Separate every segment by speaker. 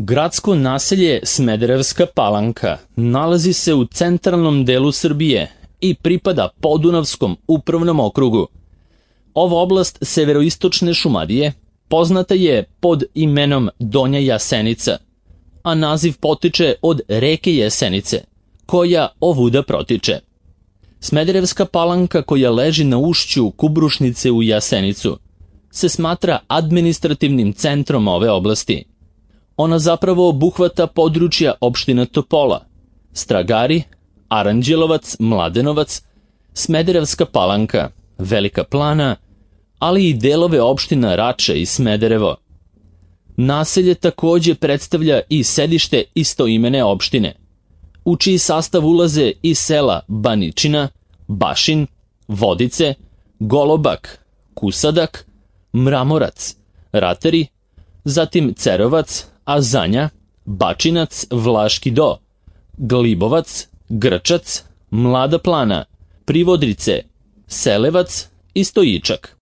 Speaker 1: Gradsko naselje Smederevska Palanka nalazi se u centralnom delu Srbije i pripada Podunavskom upravnom okrugu. Ova oblast severoistočne Šumadije poznata je pod imenom Donja Jasenica, a naziv potiče od reke Jesenice, koja ovuda protiče. Smederevska Palanka, koja leži na ušću Kubrušnice u Jasenicu, se smatra administrativnim centrom ove oblasti. Ona zapravo obuhvata područja opština Topola, Stragari, Aranđelovac, Mladenovac, Smederevska Palanka, Velika Plana, ali i delove opština Rače i Smederevo. Naselje takođe predstavlja i sedište istoimene opštine, u čiji sastav ulaze i sela Baničina, Bašin, Vodice, Golobak, Kusadak, Mramorac, Ratari, zatim Cerovac, Azanja, Bačinac, Vlaški Do, Glibovac, Grčac, Mlada Plana, Privodrice, Selevac i Stojičak.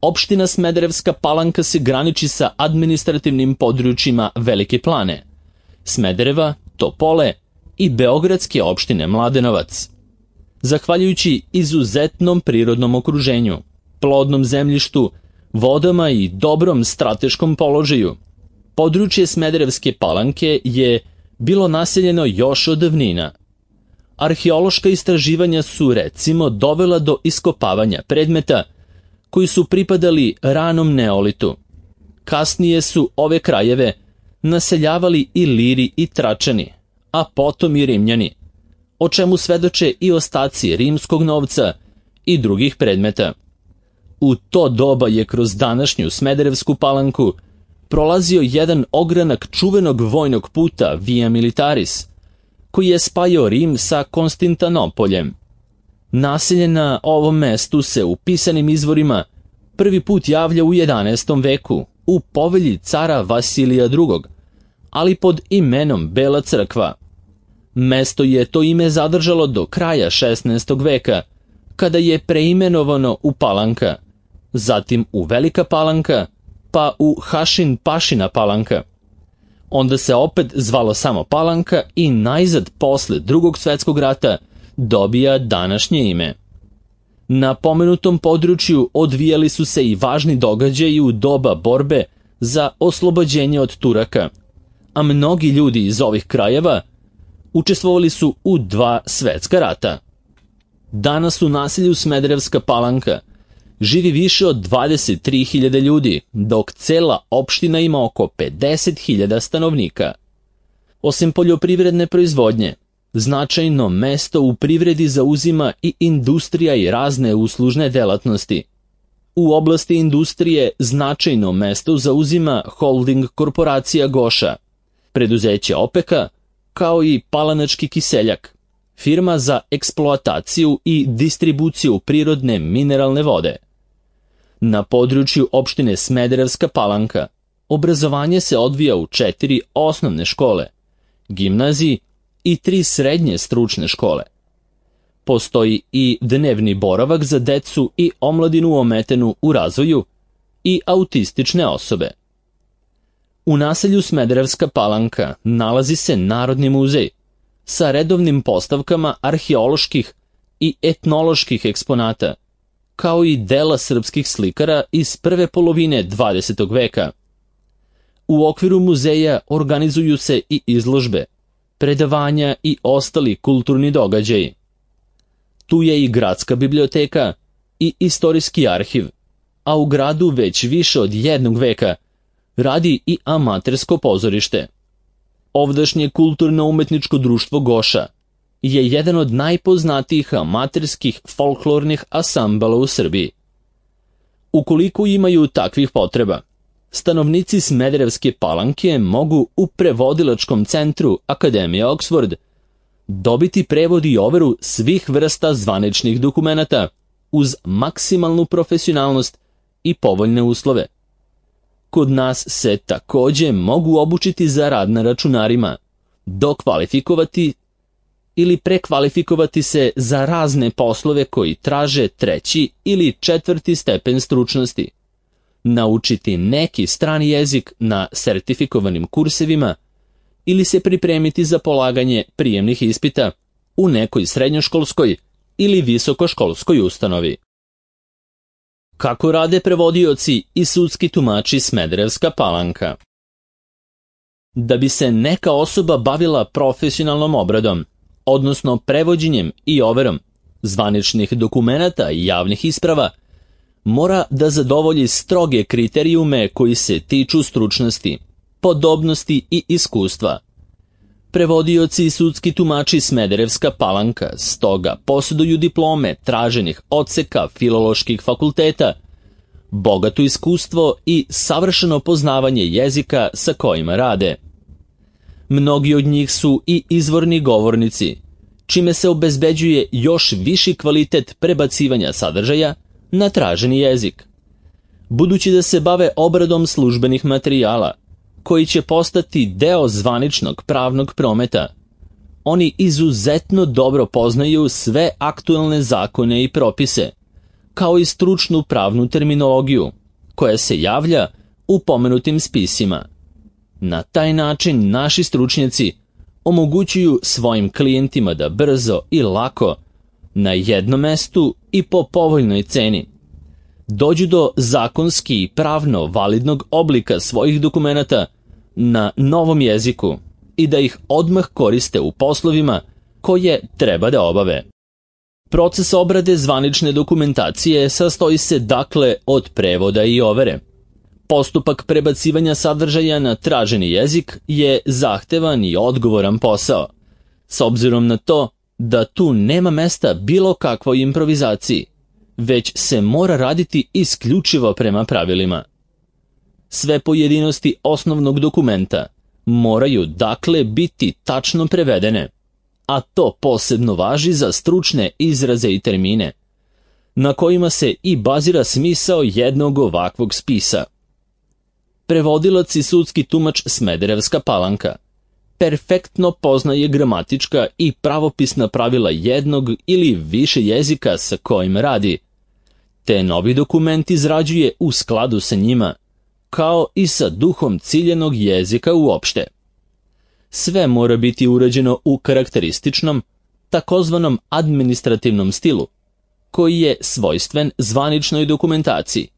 Speaker 1: Opština Smederevska Palanka se graniči sa administrativnim područjima Velike Plane, Smedereva, Topole i beogradske opštine Mladenovac. Zahvaljujući izuzetnom prirodnom okruženju, plodnom zemljištu, vodama i dobrom strateškom položaju, područje Smederevske Palanke je bilo naseljeno još od davnina. Arheološka istraživanja su recimo dovela do iskopavanja predmeta koji su pripadali ranom neolitu. Kasnije su ove krajeve naseljavali i Liri i Tračani, a potom i Rimljani, o čemu svedoče i ostaci rimskog novca i drugih predmeta. U to doba je kroz današnju Smederevsku Palanku prolazio jedan ogranak čuvenog vojnog puta Via Militaris, koji je spajao Rim sa Konstantinopoljem. Naselje na ovom mestu se u pisanim izvorima prvi put javlja u 11. veku u povelji cara Vasilija II, ali pod imenom Bela crkva. Mesto je to ime zadržalo do kraja 16. veka, kada je preimenovano u Palanka, zatim u Velika Palanka, pa u Hašin Pašina Palanka. Onda se opet zvalo samo Palanka i najzad posle Drugog svetskog rata dobija današnje ime. Na pomenutom području odvijali su se i važni događaji u doba borbe za oslobođenje od Turaka, a mnogi ljudi iz ovih krajeva učestvovali su u 2 svetska rata. Danas u naselju Smederevska Palanka živi više od 23.000 ljudi, dok cela opština ima oko 50.000 stanovnika. Osim poljoprivredne proizvodnje, značajno mesto u privredi zauzima i industrija i razne uslužne delatnosti. U oblasti industrije značajno mesto zauzima holding korporacija Goša, preduzeće Opeka, kao i Palanački kiseljak, firma za eksploataciju i distribuciju prirodne mineralne vode. Na području opštine Smederevska Palanka obrazovanje se odvija u 4 osnovne škole, gimnaziji i 3 srednje stručne škole. Postoji i dnevni boravak za decu i omladinu ometenu u razvoju i autistične osobe. U naselju Smederevska Palanka nalazi se Narodni muzej sa redovnim postavkama arheoloških i etnoloških eksponata, kao i dela srpskih slikara iz prve polovine 20. veka. U okviru muzeja organizuju se i izložbe, predavanja i ostali kulturni događaji. Tu je i gradska biblioteka i istorijski arhiv, a u gradu već više od 1 veka radi i amatersko pozorište. Ovdašnje kulturno-umetničko društvo Goša je jedan od najpoznatijih amaterskih folklornih asambala u Srbiji. Ukoliko imaju takvih potreba, stanovnici Smederevske Palanke mogu u prevodilačkom centru Akademije Oxford dobiti prevod i overu svih vrsta zvaničnih dokumenata uz maksimalnu profesionalnost i povoljne uslove. Kod nas se takođe mogu obučiti za rad na računarima, dokvalifikovati ili prekvalifikovati se za razne poslove koji traže 3. ili 4. stepen stručnosti. naučiti neki strani jezik na sertifikovanim kursevima ili se pripremiti za polaganje prijemnih ispita u nekoj srednjoškolskoj ili visokoškolskoj ustanovi. Kako rade prevodioci i sudski tumači Smederevska Palanka? Da bi se neka osoba bavila profesionalnom obradom, odnosno prevođenjem i overom zvaničnih dokumenata i javnih isprava, mora da zadovolji stroge kriterijume koji se tiču stručnosti, podobnosti i iskustva. Prevodioci i sudski tumači Smederevska Palanka stoga posjeduju diplome traženih odseka filoloških fakulteta, bogato iskustvo i savršeno poznavanje jezika sa kojima rade. Mnogi od njih su i izvorni govornici, čime se obezbeđuje još viši kvalitet prebacivanja sadržaja na traženi jezik. Budući da se bave obradom službenih materijala, koji će postati deo zvaničnog pravnog prometa, oni izuzetno dobro poznaju sve aktuelne zakone i propise, kao i stručnu pravnu terminologiju, koja se javlja u pomenutim spisima. Na taj način naši stručnjaci omogućuju svojim klijentima da brzo i lako, na jednom mestu i po povoljnoj ceni, dođu do zakonski i pravno validnog oblika svojih dokumenata na novom jeziku i da ih odmah koriste u poslovima koje treba da obave. Proces obrade zvanične dokumentacije sastoji se dakle od prevoda i overe. Postupak prebacivanja sadržaja na traženi jezik je zahtevan i odgovoran posao, s obzirom na to da tu nema mesta bilo kakvoj improvizaciji, već se mora raditi isključivo prema pravilima. Sve pojedinosti osnovnog dokumenta moraju dakle biti tačno prevedene, a to posebno važi za stručne izraze i termine, na kojima se i bazira smisao jednog ovakvog spisa. Prevodilac i sudski tumač Smederevska Palanka perfektno poznaje gramatička i pravopisna pravila jednog ili više jezika sa kojim radi, te novi dokument izrađuje u skladu sa njima, kao i sa duhom ciljenog jezika uopšte. Sve mora biti urađeno u karakterističnom, takozvanom administrativnom stilu, koji je svojstven zvaničnoj dokumentaciji.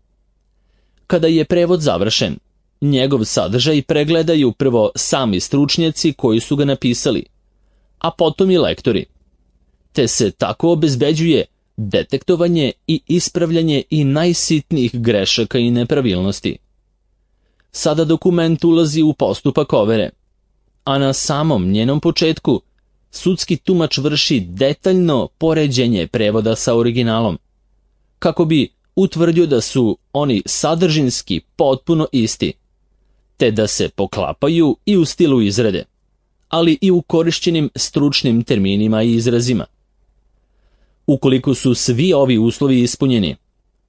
Speaker 1: Kada je prevod završen, njegov sadržaj pregledaju prvo sami stručnjaci koji su ga napisali, a potom i lektori, te se tako obezbeđuje detektovanje i ispravljanje i najsitnijih grešaka i nepravilnosti. Sada dokument ulazi u postupak overe, a na samom njenom početku sudski tumač vrši detaljno poređenje prevoda sa originalom, kako bi utvrdio da su oni sadržinski potpuno isti, te da se poklapaju i u stilu izrade, ali i u korišćenim stručnim terminima i izrazima. Ukoliko su svi ovi uslovi ispunjeni,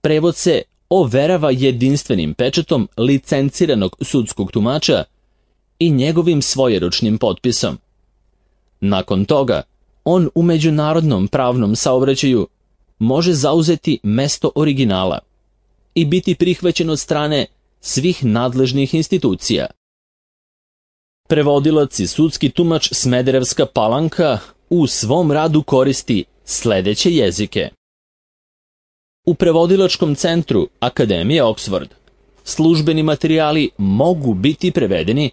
Speaker 1: prevod se overava jedinstvenim pečatom licenciranog sudskog tumača i njegovim svojeručnim potpisom. Nakon toga, on u međunarodnom pravnom saobraćaju može zauzeti mesto originala i biti prihvaćen od strane svih nadležnih institucija. Prevodilac i sudski tumač Smederevska Palanka u svom radu koristi sledeće jezike. U prevodilačkom centru Akademije Oxford službeni materijali mogu biti prevedeni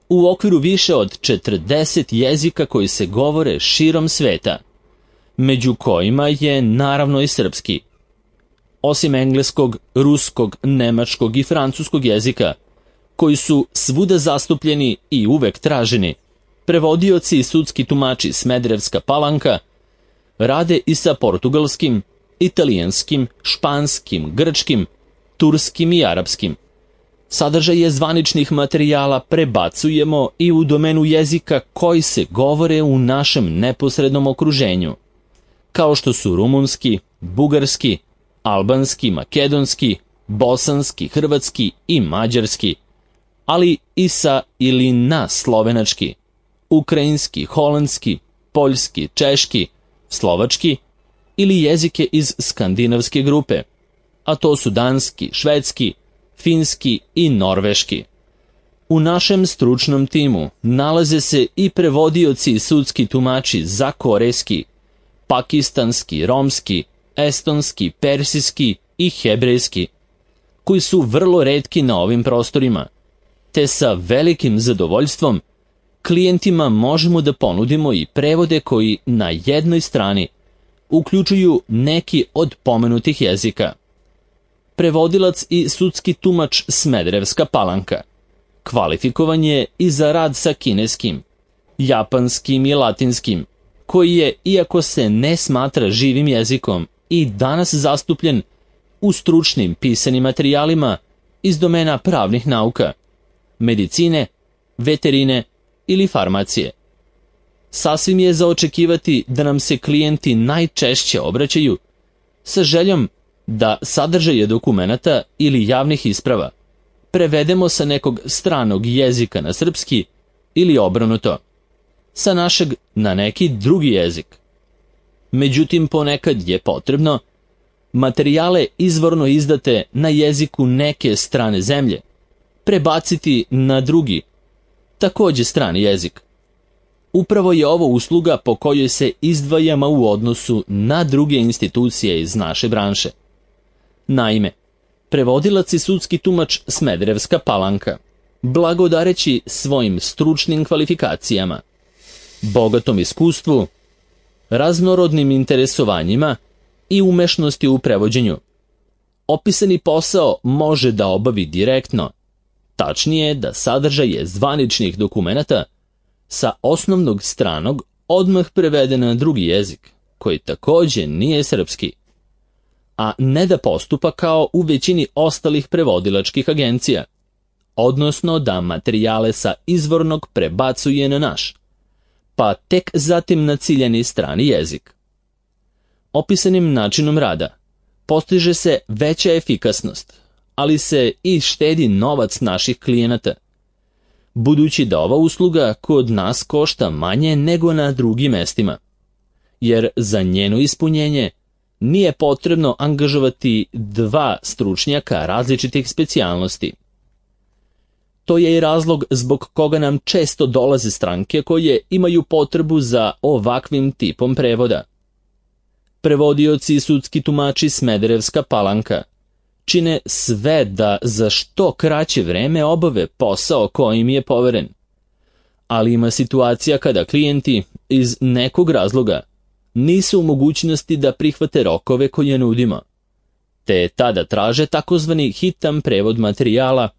Speaker 1: u okviru više od 40 jezika koji se govore širom sveta, među kojima je naravno i srpski. Osim engleskog, ruskog, nemačkog i francuskog jezika, koji su svuda zastupljeni i uvek traženi, prevodioci i sudski tumači Smederevska Palanka rade i sa portugalskim, italijanskim, španskim, grčkim, turskim i arapskim. Sadržaje zvaničnih materijala prebacujemo i u domenu jezika koji se govore u našem neposrednom okruženju, kao što su rumunski, bugarski, albanski, makedonski, bosanski, hrvatski i mađarski, ali i sa ili na slovenački, ukrajinski, holandski, poljski, češki, slovački ili jezike iz skandinavske grupe, a to su danski, švedski, finski i norveški. U našem stručnom timu nalaze se i prevodioci i sudski tumači za korejski, pakistanski, romski, estonski, persijski i hebrejski, koji su vrlo retki na ovim prostorima, te sa velikim zadovoljstvom klijentima možemo da ponudimo i prevode koji na jednoj strani uključuju neki od pomenutih jezika. Prevodilac i sudski tumač Smederevska Palanka kvalifikovan je i za rad sa kineskim, japanskim i latinskim, koji je, iako se ne smatra živim jezikom, i danas zastupljen u stručnim pisanim materijalima iz domena pravnih nauka, medicine, veterine ili farmacije. Sasvim je za očekivati da nam se klijenti najčešće obraćaju sa željom da sadržaje dokumenata ili javnih isprava prevedemo sa nekog stranog jezika na srpski ili obrnuto, sa našeg na neki drugi jezik. Međutim, ponekad je potrebno materijale izvorno izdate na jeziku neke strane zemlje prebaciti na drugi, takođe strani jezik. Upravo je ovo usluga po kojoj se izdvajamo u odnosu na druge institucije iz naše branše. Naime, prevodilac i sudski tumač Smederevska Palanka, blagodareći svojim stručnim kvalifikacijama, bogatom iskustvu, raznorodnim interesovanjima i umešnosti u prevođenju, opisani posao može da obavi direktno, tačnije da sadržaje zvaničnih dokumenata sa osnovnog stranog odmah prevede na drugi jezik, koji takođe nije srpski, a ne da postupa kao u većini ostalih prevodilačkih agencija, odnosno da materijale sa izvornog prebacuje na naš, pa tek zatim na ciljani strani jezik. Opisanim načinom rada postiže se veća efikasnost, ali se i štedi novac naših klijenata, budući da ova usluga kod nas košta manje nego na drugim mestima, jer za njeno ispunjenje nije potrebno angažovati dva stručnjaka različitih specijalnosti. To je i razlog zbog koga nam često dolaze stranke koje imaju potrebu za ovakvim tipom prevoda. Prevodioci i sudski tumači Smederevska Palanka čine sve da za što kraće vreme obave posao koji im je poveren. Ali ima situacija kada klijenti iz nekog razloga nisu u mogućnosti da prihvate rokove koje nudimo, te tada traže takozvani hitan prevod materijala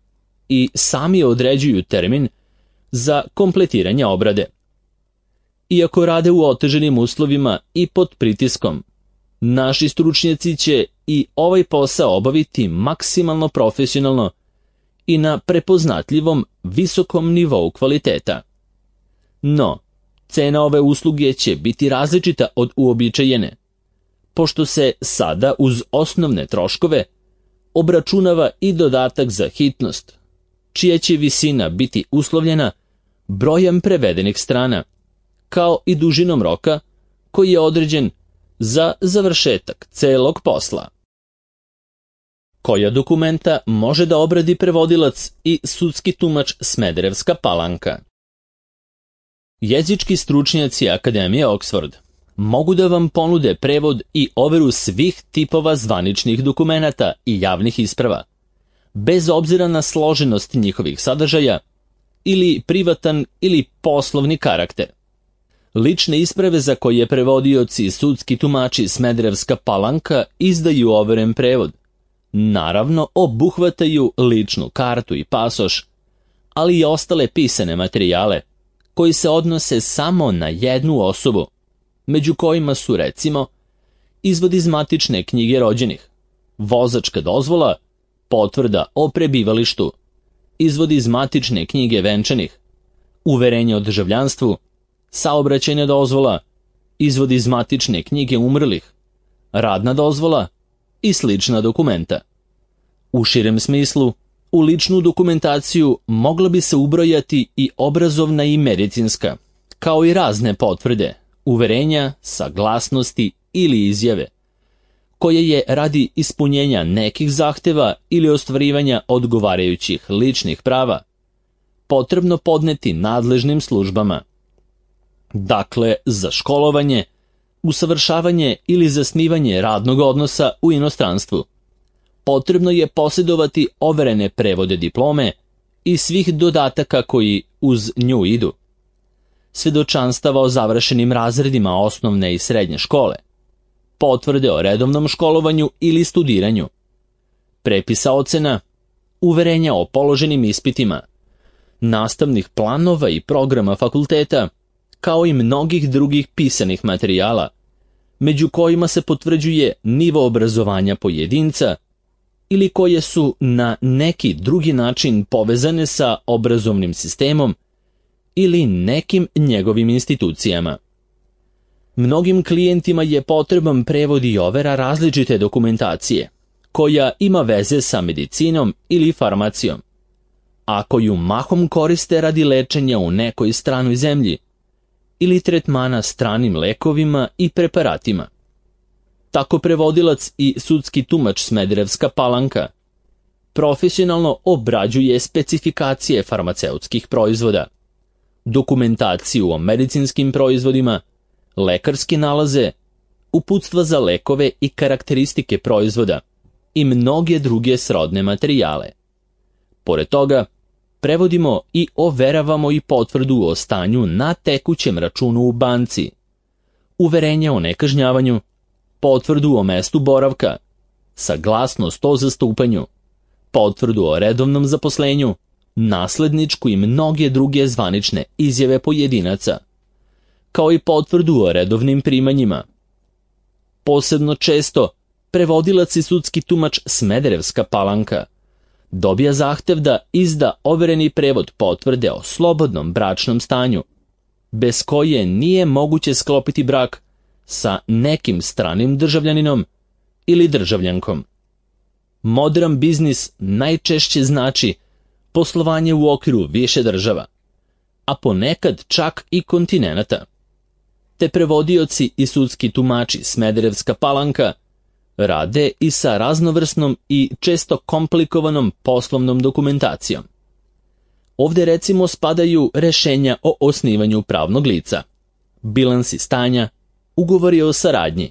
Speaker 1: i sami određuju termin za kompletiranje obrade. Iako rade u oteženim uslovima i pod pritiskom, naši stručnjaci će i ovaj posao obaviti maksimalno profesionalno i na prepoznatljivom visokom nivou kvaliteta. No, cena ove usluge će biti različita od uobičajene, pošto se sada uz osnovne troškove obračunava i dodatak za hitnost, čija će visina biti uslovljena brojem prevedenih strana, kao i dužinom roka koji je određen za završetak celog posla. Koja dokumenta može da obradi prevodilac i sudski tumač Smederevska Palanka? Jezički stručnjaci Akademije Oxford mogu da vam ponude prevod i overu svih tipova zvaničnih dokumenata i javnih isprava, bez obzira na složenost njihovih sadržaja ili privatan ili poslovni karakter. Lične isprave za koje prevodioci i sudski tumači Smederevska Palanka izdaju overen prevod, naravno obuhvataju ličnu kartu i pasoš, ali i ostale pisane materijale koji se odnose samo na jednu osobu, među kojima su recimo izvod iz matične knjige rođenih, vozačka dozvola, potvrda o prebivalištu, izvod iz matične knjige venčanih, uverenje o državljanstvu, saobraćajna dozvola, izvod iz matične knjige umrlih, radna dozvola i slična dokumenta. U širem smislu, u ličnu dokumentaciju mogla bi se ubrojati i obrazovna i medicinska, kao i razne potvrde, uverenja, saglasnosti ili izjave, koje je radi ispunjenja nekih zahteva ili ostvarivanja odgovarajućih ličnih prava potrebno podneti nadležnim službama. Dakle, za školovanje, usavršavanje ili zasnivanje radnog odnosa u inostranstvu potrebno je posjedovati overene prevode diplome i svih dodataka koji uz nju idu, svedočanstava o završenim razredima osnovne i srednje škole, potvrde o redovnom školovanju ili studiranju, prepisa ocena, uverenja o položenim ispitima, nastavnih planova i programa fakulteta, kao i mnogih drugih pisanih materijala, među kojima se potvrđuje nivo obrazovanja pojedinca ili koje su na neki drugi način povezane sa obrazovnim sistemom ili nekim njegovim institucijama. Mnogim klijentima je potreban prevod i overa različite dokumentacije, koja ima veze sa medicinom ili farmacijom, a koju mahom koriste radi lečenja u nekoj stranoj zemlji ili tretmana stranim lekovima i preparatima. Tako prevodilac i sudski tumač Smederevska Palanka profesionalno obrađuje specifikacije farmaceutskih proizvoda, dokumentaciju o medicinskim proizvodima, lekarske nalaze, uputstva za lekove i karakteristike proizvoda i mnoge druge srodne materijale. Pored toga, prevodimo i overavamo i potvrdu o stanju na tekućem računu u banci, uverenje o nekažnjavanju, potvrdu o mestu boravka, saglasnost o zastupanju, potvrdu o redovnom zaposlenju, nasledničku i mnoge druge zvanične izjave pojedinaca, kao i potvrdu o redovnim primanjima. Posebno često, prevodilac i sudski tumač Smederevska Palanka dobija zahtev da izda overeni prevod potvrde o slobodnom bračnom stanju, bez koje nije moguće sklopiti brak sa nekim stranim državljaninom ili državljankom. Modern biznis najčešće znači poslovanje u okviru više država, a ponekad čak i kontinenata. Te prevodioci i sudski tumači Smederevska Palanka rade i sa raznovrsnom i često komplikovanom poslovnom dokumentacijom. Ovdje recimo spadaju rešenja o osnivanju pravnog lica, bilansi stanja, ugovori o saradnji,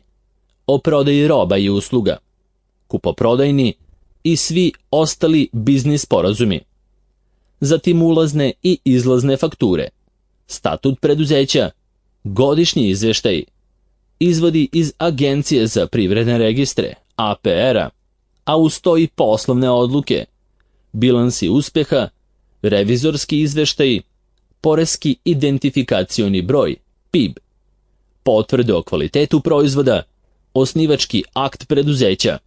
Speaker 1: o prodaji roba i usluga, kupoprodajni i svi ostali biznis sporazumi, zatim ulazne i izlazne fakture, statut preduzeća, godišnji izveštaj, izvodi iz Agencije za privredne registre, APR-a, a uz to i poslovne odluke, bilansi uspeha, revizorski izveštaj, poreski identifikacioni broj, PIB, potvrde o kvalitetu proizvoda, osnivački akt preduzeća,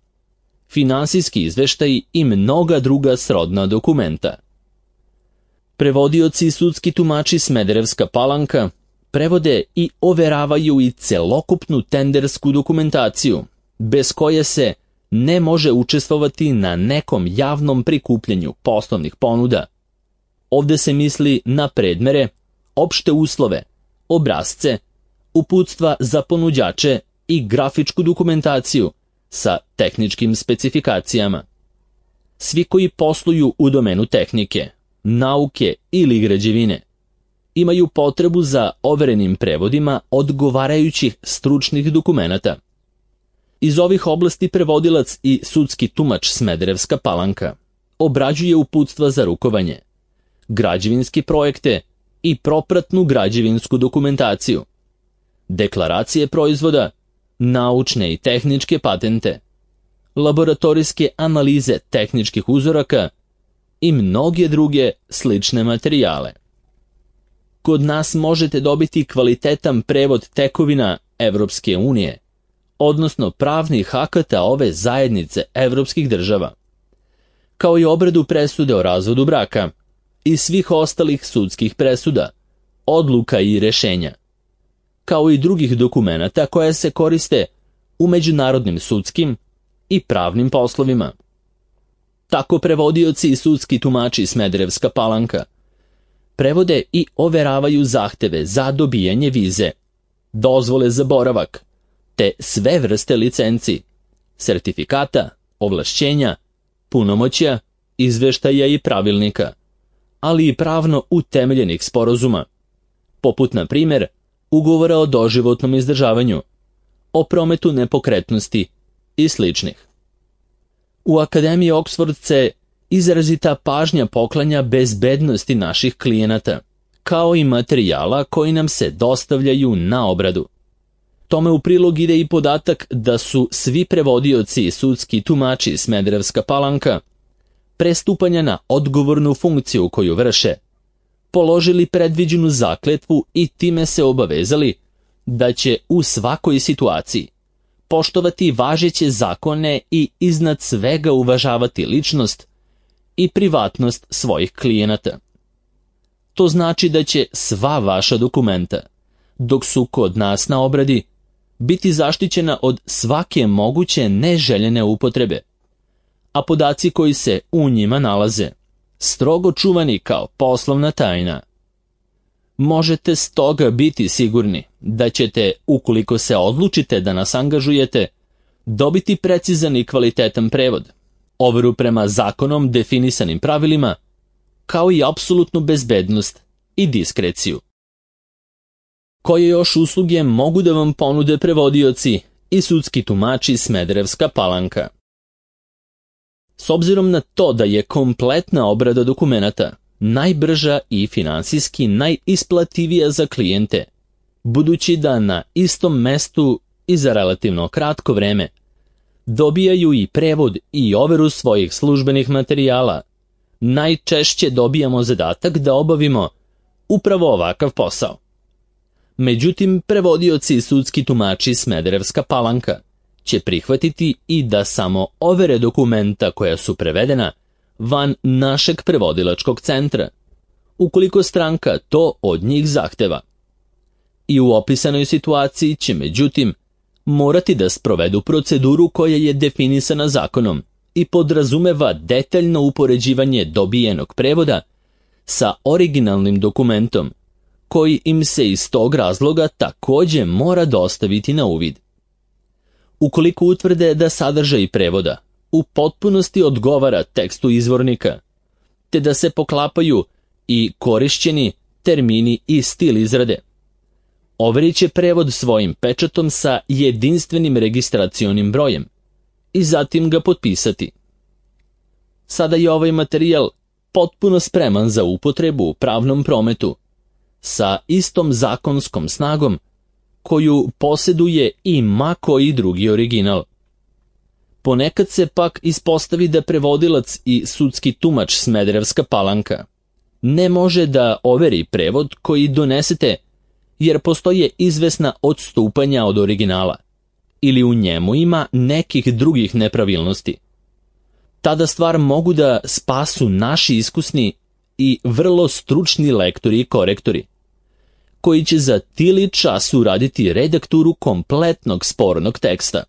Speaker 1: finansijski izveštaj i mnoga druga srodna dokumenta. Prevodioci i sudski tumači Smederevska Palanka prevode i overavaju i celokupnu tendersku dokumentaciju, bez koje se ne može učestvovati na nekom javnom prikupljanju poslovnih ponuda. Ovdje se misli na predmere, opšte uslove, obrasce, uputstva za ponuđače i grafičku dokumentaciju sa tehničkim specifikacijama. Svi koji posluju u domenu tehnike, nauke ili građevine imaju potrebu za overenim prevodima odgovarajućih stručnih dokumenata. Iz ovih oblasti prevodilac i sudski tumač Smederevska Palanka obrađuje uputstva za rukovanje, građevinske projekte i propratnu građevinsku dokumentaciju, deklaracije proizvoda, naučne i tehničke patente, laboratorijske analize tehničkih uzoraka i mnoge druge slične materijale. Kod nas možete dobiti kvalitetan prevod tekovina Evropske unije, odnosno pravnih akata ove zajednice evropskih država, kao i obradu presude o razvodu braka i svih ostalih sudskih presuda, odluka i rešenja, kao i drugih dokumenata koje se koriste u međunarodnim sudskim i pravnim poslovima. Tako prevodioci i sudski tumači Smederevska Palanka prevode i overavaju zahteve za dobijanje vize, dozvole za boravak, te sve vrste licenci, sertifikata, ovlašćenja, punomoćja, izveštaja i pravilnika, ali i pravno utemeljenih sporazuma, poput, na primjer, ugovora o doživotnom izdržavanju, o prometu nepokretnosti i sličnih. U Akademiji Oxford se izrazita pažnja poklanja bezbednosti naših klijenata, kao i materijala koji nam se dostavljaju na obradu. Tome u prilog ide i podatak da su svi prevodioci i sudski tumači Smederevska Palanka, pre stupanja na odgovornu funkciju koju vrše, položili predviđenu zakletvu i time se obavezali da će u svakoj situaciji poštovati važeće zakone i iznad svega uvažavati ličnost i privatnost svojih klijenata. To znači da će sva vaša dokumenta, dok su kod nas na obradi, biti zaštićena od svake moguće neželjene upotrebe, a podaci koji se u njima nalaze strogo čuvani kao poslovna tajna. Možete stoga biti sigurni da ćete, ukoliko se odlučite da nas angažujete, dobiti precizan i kvalitetan prevod, overu prema zakonom definisanim pravilima, kao i apsolutnu bezbednost i diskreciju. Koje još usluge mogu da vam ponude prevodioci i sudski tumači Smederevska Palanka? S obzirom na to da je kompletna obrada dokumenata najbrža i finansijski najisplativija za klijente, budući da na istom mestu i za relativno kratko vreme dobijaju i prevod i overu svojih službenih materijala, najčešće dobijamo zadatak da obavimo upravo ovakav posao. Međutim, prevodioci i sudski tumači Smederevska Palanka će prihvatiti i da samo overe dokumenta koja su prevedena van našeg prevodilačkog centra, ukoliko stranka to od njih zahteva. I u opisanoj situaciji će, međutim, morati da sprovedu proceduru koja je definisana zakonom i podrazumeva detaljno upoređivanje dobijenog prevoda sa originalnim dokumentom, koji im se iz tog razloga također mora dostaviti na uvid. Ukoliko utvrde da sadržaj prevoda u potpunosti odgovara tekstu izvornika, te da se poklapaju i korišćeni termini i stil izrade, overit će prevod svojim pečatom sa jedinstvenim registracionim brojem i zatim ga potpisati. Sada je ovaj materijal potpuno spreman za upotrebu u pravnom prometu, sa istom zakonskom snagom koju posjeduje i ma koji drugi original. Ponekad se pak ispostavi da prevodilac i sudski tumač Smederevska Palanka ne može da overi prevod koji donesete jer postoje izvesna odstupanja od originala ili u njemu ima nekih drugih nepravilnosti. Tada stvar mogu da spasu naši iskusni i vrlo stručni lektori i korektori, koji će za tili čas uraditi redakturu kompletnog spornog teksta.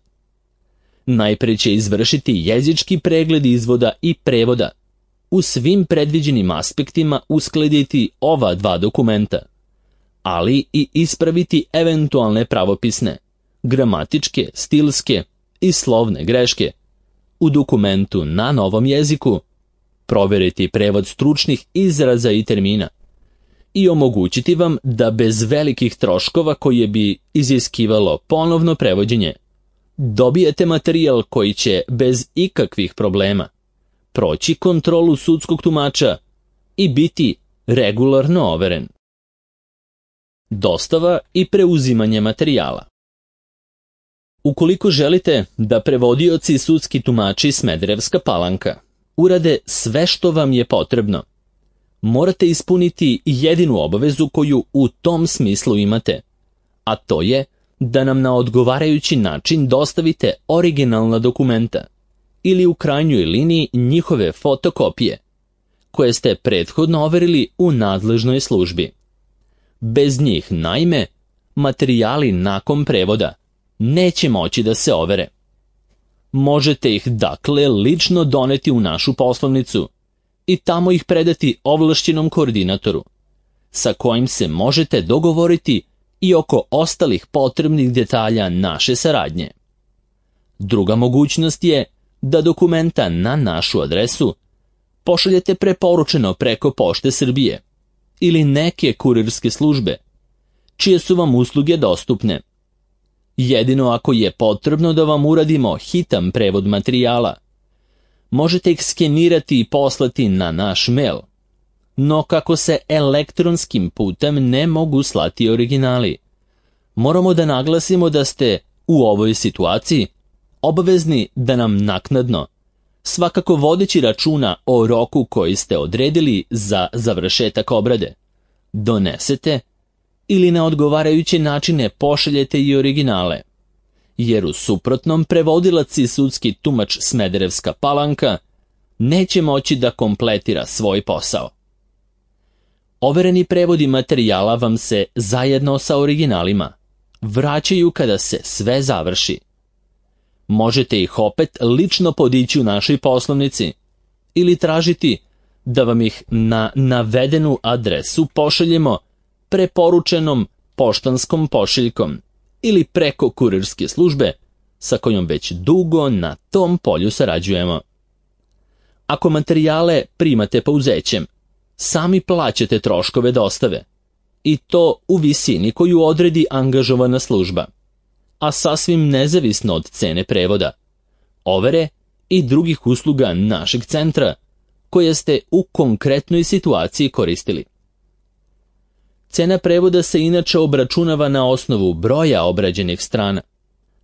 Speaker 1: Najpre će izvršiti jezički pregled izvoda i prevoda, u svim predviđenim aspektima uskladiti ova dva dokumenta, ali i ispraviti eventualne pravopisne, gramatičke, stilske i slovne greške u dokumentu na novom jeziku, proveriti prevod stručnih izraza i termina i omogućiti vam da bez velikih troškova koje bi iziskivalo ponovno prevođenje, dobijete materijal koji će bez ikakvih problema proći kontrolu sudskog tumača i biti regularno overen. Dostava i preuzimanje materijala. Ukoliko želite da prevodioci i sudski tumači Smederevska Palanka urade sve što vam je potrebno, morate ispuniti jedinu obavezu koju u tom smislu imate, a to je da nam na odgovarajući način dostavite originalna dokumenta ili u krajnjoj liniji njihove fotokopije, koje ste prethodno overili u nadležnoj službi. Bez njih, naime, materijali nakon prevoda neće moći da se overe. Možete ih dakle lično doneti u našu poslovnicu i tamo ih predati ovlašćenom koordinatoru, sa kojim se možete dogovoriti i oko ostalih potrebnih detalja naše saradnje. Druga mogućnost je da dokumenta na našu adresu pošaljete preporučeno preko Pošte Srbije ili neke kurirske službe, čije su vam usluge dostupne. Jedino ako je potrebno da vam uradimo hitan prevod materijala, možete ih skenirati i poslati na naš mail. No kako se elektronskim putem ne mogu slati originali, moramo da naglasimo da ste u ovoj situaciji obavezni da nam naknadno, svakako vodeći računa o roku koji ste odredili za završetak obrade, donesete ili na odgovarajuće načine pošaljete i originale, jer u suprotnom prevodilac i sudski tumač Smederevska Palanka neće moći da kompletira svoj posao. Overeni prevodi materijala vam se zajedno sa originalima vraćaju kada se sve završi. Možete ih opet lično podići u našoj poslovnici ili tražiti da vam ih na navedenu adresu pošaljemo preporučenom poštanskom pošiljkom ili preko kurirske službe sa kojom već dugo na tom polju sarađujemo. Ako materijale primate pouzećem, sami plaćate troškove dostave, i to u visini koju odredi angažovana služba, a sasvim nezavisno od cene prevoda, overe i drugih usluga našeg centra koje ste u konkretnoj situaciji koristili. Cena prevoda se inače obračunava na osnovu broja obrađenih strana,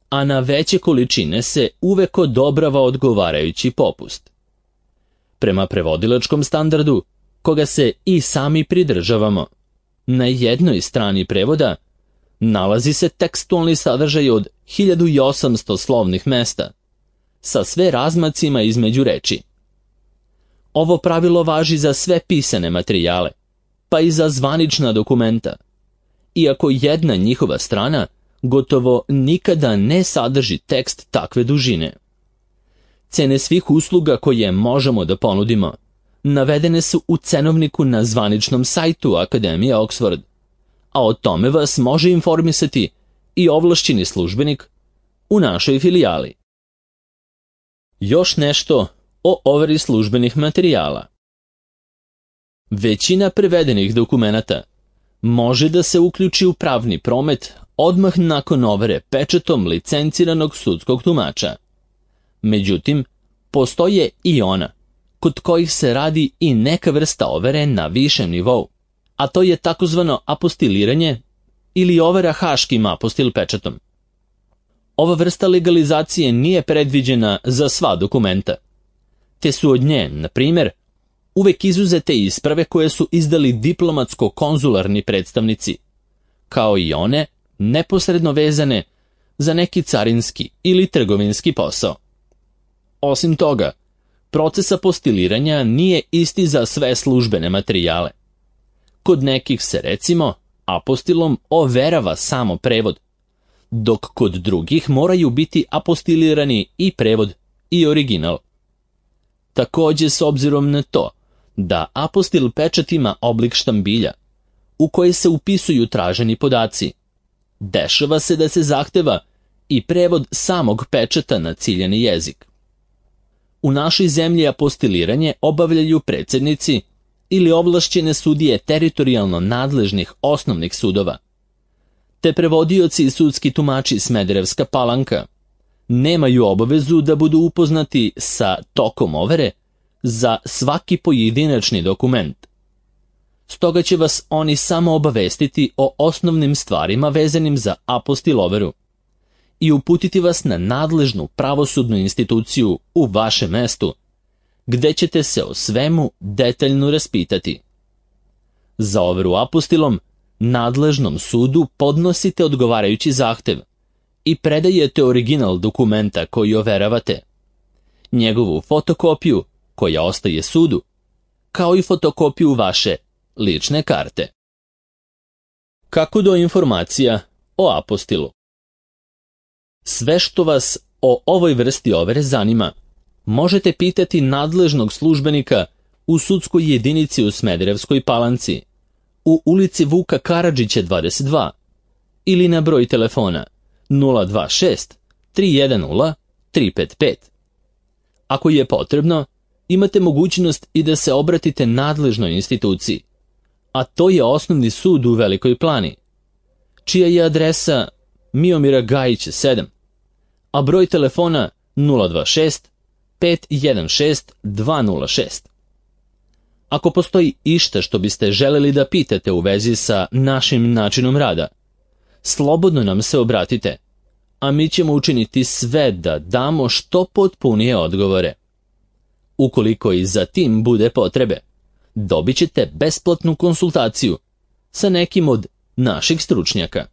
Speaker 1: a na veće količine se uvek odobrava odgovarajući popust. Prema prevodilačkom standardu, koga se i sami pridržavamo, na jednoj strani prevoda nalazi se tekstualni sadržaj od 1800 slovnih mesta, sa sve razmacima između reči. Ovo pravilo važi za sve pisane materijale, pa i za zvanična dokumenta, iako jedna njihova strana gotovo nikada ne sadrži tekst takve dužine. Cene svih usluga koje možemo da ponudimo navedene su u cenovniku na zvaničnom sajtu Akademije Oxford, a o tome vas može informisati i ovlašćeni službenik u našoj filijali. Još nešto o overi službenih materijala. Većina prevedenih dokumenata može da se uključi u pravni promet odmah nakon overe pečatom licenciranog sudskog tumača. Međutim, postoje i ona kod kojih se radi i neka vrsta overe na višem nivou, a to je takozvano apostiliranje ili overa haškim apostil pečatom. Ova vrsta legalizacije nije predviđena za sva dokumenta, te su od nje, na primjer, uvek izuzete isprave koje su izdali diplomatsko-konzularni predstavnici, kao i one neposredno vezane za neki carinski ili trgovinski posao. Osim toga, proces apostiliranja nije isti za sve službene materijale. Kod nekih se, recimo, apostilom overava samo prevod, dok kod drugih moraju biti apostilirani i prevod i original. Također, s obzirom na to da apostil pečat ima oblik štambilja, u koji se upisuju traženi podaci, dešava se da se zahteva i prevod samog pečata na ciljani jezik. U našoj zemlji apostiliranje obavljaju predsjednici ili ovlašćene sudije teritorijalno nadležnih osnovnih sudova, te prevodioci i sudski tumači Smederevska Palanka nemaju obavezu da budu upoznati sa tokom overe za svaki pojedinačni dokument. Stoga će vas oni samo obavestiti o osnovnim stvarima vezanim za apostil overu i uputiti vas na nadležnu pravosudnu instituciju u vašem mestu, gde ćete se o svemu detaljno raspitati. Za overu apostilom nadležnom sudu podnosite odgovarajući zahtev i predajete original dokumenta koji overavate, njegovu fotokopiju koja ostaje sudu, kao i fotokopiju vaše lične karte. Kako do informacija o apostilu? Sve što vas o ovoj vrsti overe zanima, možete pitati nadležnog službenika u sudskoj jedinici u Smederevskoj Palanci, u ulici Vuka Karadžića 22, ili na broj telefona 026 310 355. Ako je potrebno, imate mogućnost i da se obratite nadležnoj instituciji, a to je Osnovni sud u Velikoj Plani, čija je adresa Miomira Gajića 7, a broj telefona 026 516 206. Ako postoji išta što biste želeli da pitate u vezi sa našim načinom rada, slobodno nam se obratite, a mi ćemo učiniti sve da damo što potpunije odgovore. Ukoliko i za tim bude potrebe, dobit ćete besplatnu konsultaciju sa nekim od naših stručnjaka.